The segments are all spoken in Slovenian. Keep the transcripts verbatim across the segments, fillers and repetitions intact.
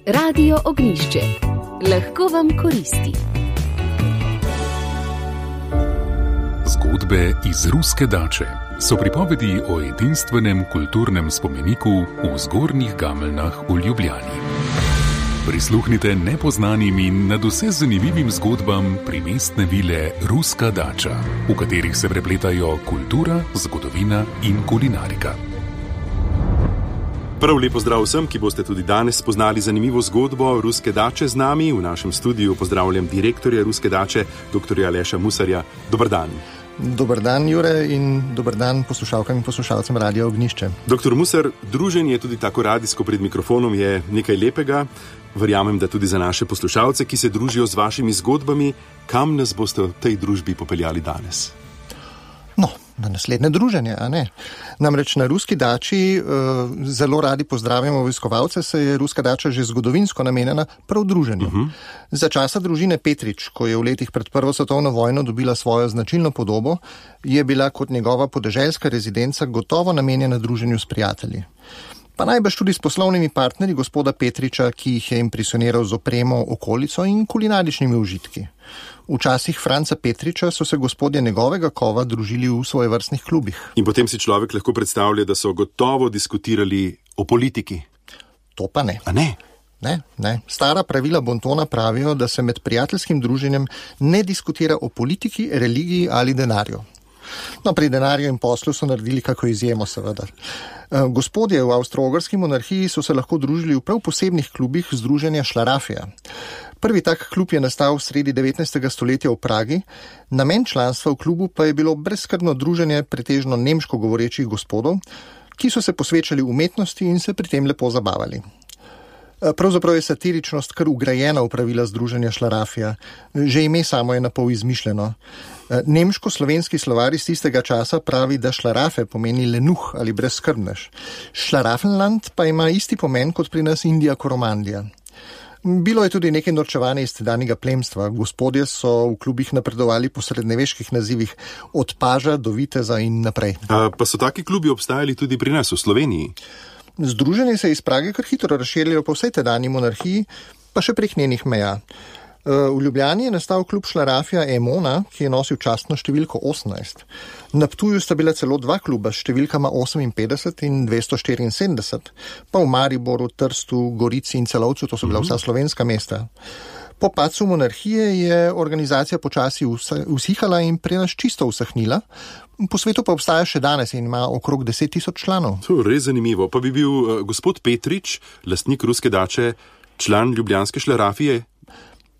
Radio Ognjišče. Lahko vam koristi. Zgodbe iz ruske dače so pripovedi o edinstvenem kulturnem spomeniku v Zgornjih Gameljnah v Ljubljani. Prisluhnite nepoznanim in nadvse zanimivim zgodbam primestne vile Ruska dača, v katerih se prepletajo kultura, zgodovina in kulinarika. Prav lepo zdrav vsem, ki boste tudi danes spoznali zanimivo zgodbo Ruske dače z nami. V našem studiu pozdravljam direktorja Ruske dače, doktorja Aleša Musarja. Dobar dan. Dobar dan, Jure, in dobar dan poslušalkam in poslušalcem Radia Ognjišče. Doktor Musar, druženje tudi tako radijsko pred mikrofonom je nekaj lepega. Verjamem, da tudi za naše poslušalce, ki se družijo z vašimi zgodbami. Kam nas boste v tej družbi popeljali danes? No, na naslednje druženje, a ne? Namreč na Ruski dači uh, zelo radi pozdravimo obiskovalce, se je Ruska dača že zgodovinsko namenjena prav druženju. Uh-huh. Za časa družine Petrič, ko je v letih pred Prvo svetovno vojno dobila svojo značilno podobo, je bila kot njegova podeželska rezidenca gotovo namenjena druženju s prijatelji. Pa najbrž tudi s poslovnimi partnerji gospoda Petriča, ki jih je impresioniral z opremo, okolico in kulinaričnimi užitki. V časih Franca Petriča so se gospodje njegovega kova družili v svojevrstnih klubih. In potem si človek lahko predstavlja, da so gotovo diskutirali o politiki. To pa ne. A ne? Ne, ne. Stara pravila bontona pravijo, da se med prijateljskim druženjem ne diskutira o politiki, religiji ali denarju. No, pri denarju in poslu so naredili kako izjemo, seveda. Gospodje v avstro-ogrski monarhiji so se lahko družili v prav posebnih klubih združenja Šlarafija. Prvi tak klub je nastal v sredi devetnajstega stoletja v Pragi, namen članstva v klubu pa je bilo brezskrbno druženje pretežno nemško govorečih gospodov, ki so se posvečali umetnosti in se pri tem lepo zabavali. Pravzaprav je satiričnost kar ugrajena v pravila združenja Šlarafija. Že ime samo je napol izmišljeno. Nemško-slovenski slovar iz tistega časa pravi, da šlarafe pomeni lenuh ali brezskrbnež. Šlarafenland pa ima isti pomen kot pri nas Indija Koromandija. Bilo je tudi nekaj norčevanja iz tedanjega plemstva. Gospodje so v klubih napredovali po srednjeveških nazivih od paža do viteza in naprej. A, pa so taki klubi obstajali tudi pri nas v Sloveniji? Združenje se je iz Prage kar hitro razširilo po vsej tedanji monarhiji, pa še prek njenih meja. V Ljubljani je nastal klub Šlarafija Emona, ki je nosil častno številko osemnajst. Na Ptuju sta bila celo dva kluba s številkama oseminpetdeset in dvesto štiriinsedemdeset, pa v Mariboru, Trstu, Gorici in Celovcu, to so bila vsa slovenska mesta. Po padcu monarhije je organizacija počasi usihala in pri nas čisto usahnila. Po svetu pa obstaja še danes in ima okrog deset tisoč članov. To je res zanimivo. Pa bi bil uh, gospod Petrič, lastnik Ruske dače, član ljubljanske Šlarafije?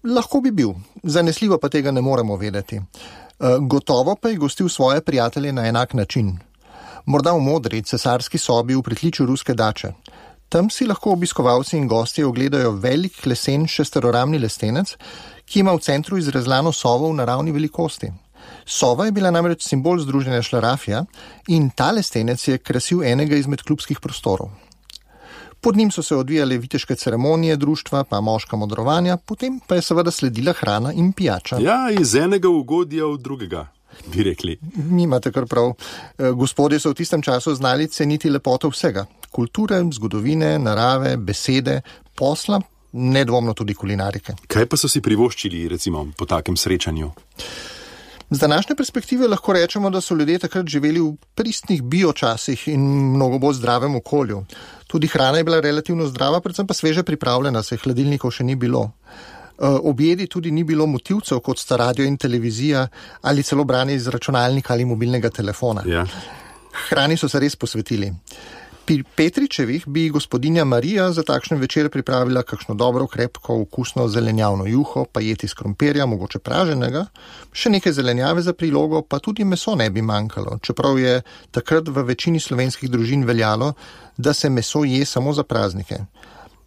Lahko bi bil. Zanesljivo pa tega ne moremo vedeti. Uh, gotovo pa je gostil svoje prijatelje na enak način. Morda v modri, cesarski sobi v pritličju Ruske dače. Tam si lahko obiskovalci in gostje ogledajo velik lesen šesteroramni lestenec, ki ima v centru izrezlano sovo v naravni velikosti. Sova je bila namreč simbol združenja Šlarafija in ta lestenec je krasil enega izmed klubskih prostorov. Pod njim so se odvijale viteške ceremonije društva, pa moška modrovanja, potem pa je seveda sledila hrana in pijača. Ja, iz enega ugodja v drugega, bi rekli. Mi imate kar prav. Gospodje so v tistem času znali ceniti lepoto vsega. Kulture, zgodovine, narave, besede, posla, nedvomno tudi kulinarike. Kaj pa so si privoščili, recimo, po takem srečanju? Z današnje perspektive lahko rečemo, da so ljudje takrat živeli v pristnih biočasih in mnogo bolj zdravem okolju. Tudi hrana je bila relativno zdrava, predvsem pa sveže pripravljena, saj hladilnikov še ni bilo. Ob jedi tudi ni bilo motivcev, kot sta radio in televizija, ali celo branje iz računalnika ali mobilnega telefona. Ja. Hrani so se res posvetili. Pri Petričevih bi gospodinja Marija za takšen večer pripravila kakšno dobro, krepko, okusno zelenjavno juho, pa jeti iz krompirja, mogoče praženega, še nekaj zelenjave za prilogo, pa tudi meso ne bi manjkalo, čeprav je takrat v večini slovenskih družin veljalo, da se meso je samo za praznike.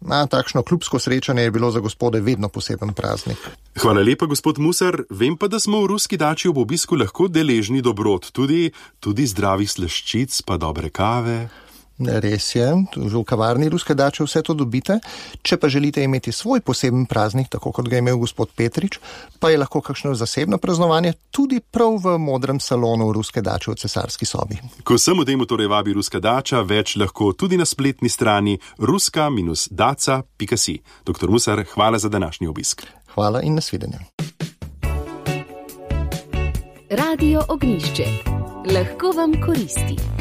A takšno klubsko srečanje je bilo za gospode vedno poseben praznik. Hvala lepa, gospod Musar. Vem pa, da smo v Ruski dači ob obisku lahko deležni dobrot, tudi, tudi zdravih slaščic, pa dobre kave. Res je, že v kavarni Ruske dače vse to dobite. Če pa želite imeti svoj poseben praznik, tako kot ga je imel gospod Petrič, pa je lahko kakšno zasebno praznovanje tudi prav v modrem salonu Ruske dače v cesarski sobi. Ko sem odemu torej vabi Ruska dača, več lahko tudi na spletni strani ruska daca pika si. Doktor Musar, hvala za današnji obisk. Hvala in nasvidenje. Radio Ognjišče. Lahko vam koristi.